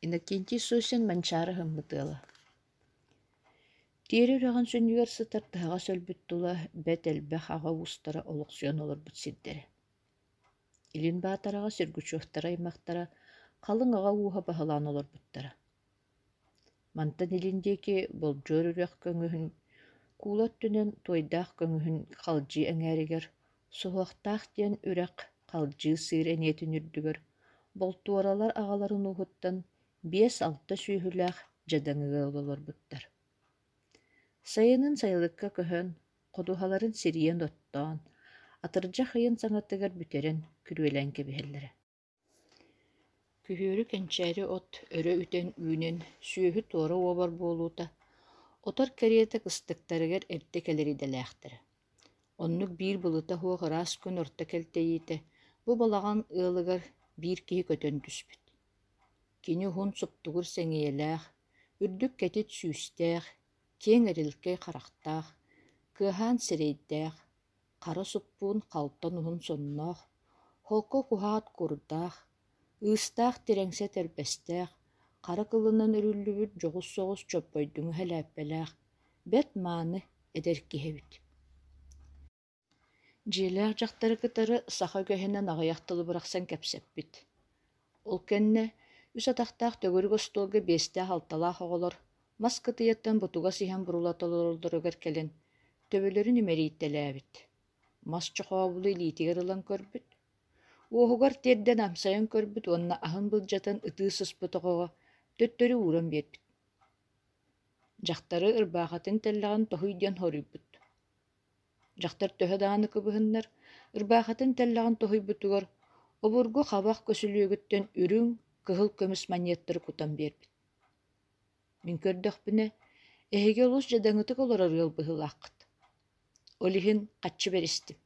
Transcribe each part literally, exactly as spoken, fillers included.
Иннокентий Сосин Манчаары ыһыммыт ыала. Тиэрэ үрэҕин сүнньүгэр сытар тыһаҕас өлбүт тула бэрт элбэх аҕа уустара олохсуйан олорбут сирдэрэ. Илин Баатараҕа Сергучевтар аймахтара халыҥ аҕа ууһа баһылаан олорбуттара. Мантан илин диэки Болдьуор үрэх көҥүһүн куула өттүнэн Туойдаах көҥүһүн Халдьыы эҥээригэр Суһуохтаах диэн үрэх Халдьыы сыыр эниэтин үрдүгэр Болтуоралар аҕаларын ууһуттан биэс-алта сүөһүлээх дьадаҥы ыал олорбуттар. Сайынын сайылыкка көһөн, ходуһаларын сирийэн оттоон, атырдьах ыйын саҥатыгар бүтэрэн күрүөлээн кэбиһэллэрэ. Күһүөрү кэнчээри от өрө үтэн үүнэн, сүөһү туора уобар буолуута, отор кэриэтэ кыстыктарыгар эрдэ кэлэр идэлээхтэрэ. Оннук биир былыта суох ыраас күн орто кэлтэйиитэ бу балаҕан ыалыгар биир киһи көтөн түспүт. Кини уһун суптугур сэҥийэлээх, үрдүк кэтит сүүстээх, киэҥ эрилкэй харахтаах, кыаһаан сирэйдээх, хара суппуун халтан уһун сонноох, холко куһаат курдаах, ыыстаах тирэҥсэ тэрбэстээх, хара кылынан өрүллүбүт дьоҕус соҕус чоппойдуҥу сэлээппэлээх, бэрт мааны эдэр киһи эбит. Дьиэлээх дьахтары кытары саха үгэһинэн аҕыйах тылы бырахсан кэпсэппит. Ол кэннэ үс атахтаах төгүрүк остуолга биэстээх-алталаах оҕолор мас кытыйаттан бутугас иһэн бурулата олороллоругар кэлэн төбөлөрүн имэрийтэлээбит. Мас чохообулу илиитигэр ылан көрбүт, уоһугар тиэрдэн амсайан көрбүт уонна аһын былдьатан ытыы сыспыт оҕоҕо төттөрү ууран биэрбит. Дьахтары ырбаахатын тэллэҕин тоһуй диэн хоруйбут. Дьахтар төһө даҕаны кыбыһыннар, ырбаахатын тэллэҕин тоһуйбутугар обургу хабах көсүлүөгүттэн үрүҥ, кыһыл көмүс манньыаттары кутан биэрбит. Мин көрдөхпүнэ, эһиги олус дьадаҥытык олорор ыал быһыылааххыт. Ол иһин хаччы бэристим.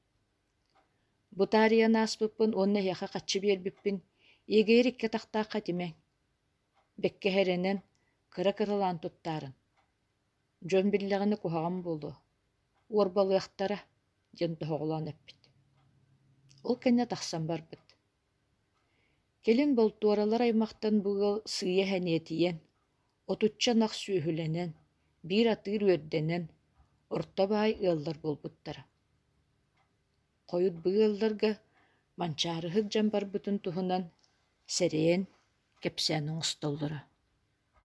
Бу таарыйан ааспыппын уонна эһиэхэ хаччы биэрбиппин иэгэйэр икки атахтаахха этимэҥ. Бэккэ эрэнэн, кыра-кыралаан туттаарын. Дьон биллэҕинэ куһаҕан буолуо, уорбалыахтара диэн тоһоҕолоон эппит. Ол кэннэ тахсан барбыт. Кэлин Болтуоралар аймахтан бу ыал сыыйа сэниэтийэн, отучча ынах сүөһүлэнэн, биир атыыр үөрдэнэн, орто баай ыаллар буолбуттара. Хойут бу ыалларга Манчаарыһыт дьон барбытын туһунан сэрэйэн кэпсээн оҥостоллоро.